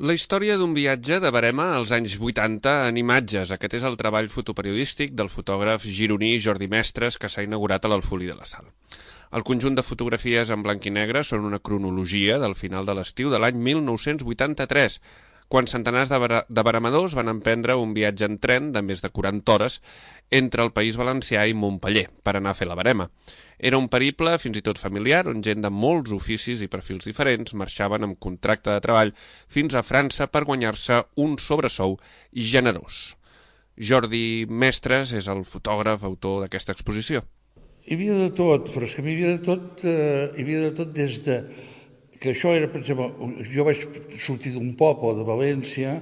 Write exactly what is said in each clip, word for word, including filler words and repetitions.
La història d'un viatge de Verema als anys vuitanta en imatges. Aquest és el treball fotoperiodístic del fotògraf gironí Jordi Mestres que s'ha inaugurat a l'Alfolí de la Sal. El conjunt de fotografies en blanc i negre són una cronologia del final de l'estiu de l'any mil nou-cents vuitanta-tres, quan centenars de, bar de veremadors van emprendre un viatge en tren de més de quaranta hores entre el País Valencià i Montpeller per anar a fer la Verema. Era un periple fins i tot familiar on gent de molts oficis i perfils diferents marxaven amb contracte de treball fins a França per guanyar-se un sobresou generós. Jordi Mestres és el fotògraf autor d'aquesta exposició. Hi havia de tot, però és que hi havia de tot, eh, hi havia de tot des de... que això era, per exemple, jo vaig sortir d'un poble de València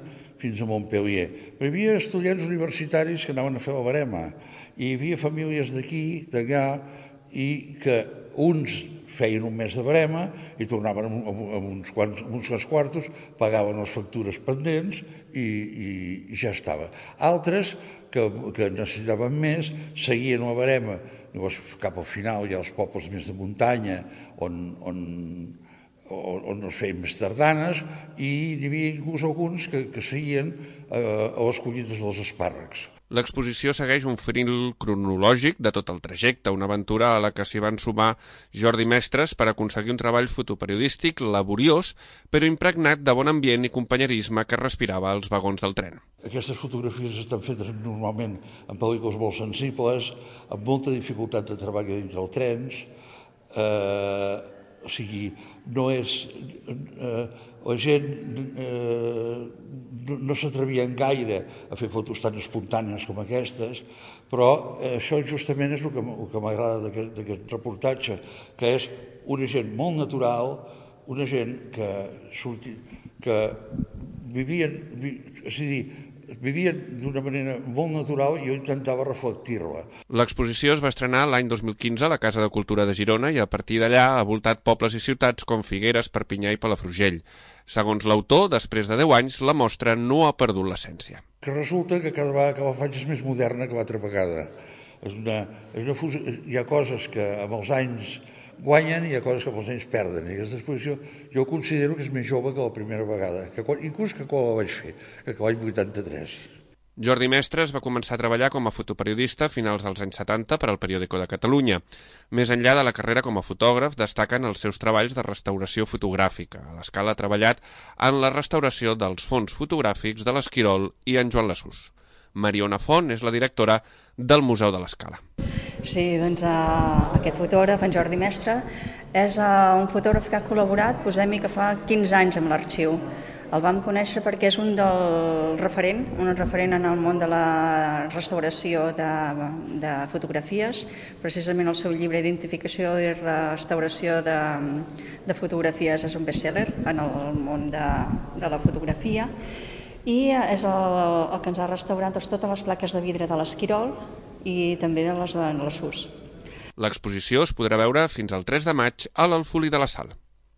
fins a Montpellier, però hi havia estudiants universitaris que anaven a fer la Verema, i hi havia famílies d'aquí, d'allà, i que uns feien un mes de Verema i tornaven amb uns quants, amb uns quants quartos, pagaven les factures pendents i, i, i ja estava. Altres, que, que necessitaven més, seguien la Verema, llavors cap al final hi ha els pobles més de muntanya on... on on es feien més tardanes, i hi havia inclús alguns que, que seguien eh, a les collites dels espàrrecs. L'exposició segueix un fil cronològic de tot el trajecte, una aventura a la que s'hi van sumar Jordi Mestres per aconseguir un treball fotoperiodístic laboriós, però impregnat de bon ambient i companyerisme que respirava als vagons del tren. Aquestes fotografies estan fetes normalment en pel·lícules molt sensibles, amb molta dificultat de treball dintre els trens, eh, o sigui, no és... Eh, la gent eh, no, no s'atrevien gaire a fer fotos tan espontànies com aquestes, però eh, això justament és el que, el que m'agrada d'aquest reportatge, que és una gent molt natural, una gent que, surti, que vivien, vi, és a dir, vivien d'una manera molt natural i jo intentava reflectir-la. L'exposició es va estrenar l'any dos mil quinze a la Casa de Cultura de Girona i a partir d'allà ha voltat pobles i ciutats com Figueres, Perpinyà i Palafrugell. Segons l'autor, després de deu anys, la mostra no ha perdut l'essència. Que resulta que cada vegada que la faig és més moderna que l'altra vegada. És una, és una fusió, hi ha coses que amb els anys guanyen i hi ha coses que amb els anys perden. I aquesta exposició jo considero que és més jove que la primera vegada, que quan, inclús que quan la vaig fer, que l'any vuitanta-tres. Jordi Mestres va començar a treballar com a fotoperiodista a finals dels anys setanta per al Periódico de Catalunya. Més enllà de la carrera com a fotògraf, destaquen els seus treballs de restauració fotogràfica. A l'Escala ha treballat en la restauració dels fons fotogràfics de l'Esquirol i en Joan Lasús. Mariona Font és la directora del Museu de l'Escala. Sí, doncs uh, aquest fotògraf, en Jordi Mestre, és uh, un fotògraf que ha col·laborat, posem-hi que fa quinze anys amb l'arxiu. El vam conèixer perquè és un del referent, un referent en el món de la restauració de, de fotografies, precisament el seu llibre Identificació i restauració de, de fotografies és un best-seller en el món de, de la fotografia, i és el, el que ens ha restaurat doncs, totes les plaques de vidre de l'Esquirol i també de les de Lasús. L'exposició es podrà veure fins al tres de maig a l'Alfolí de la Sal.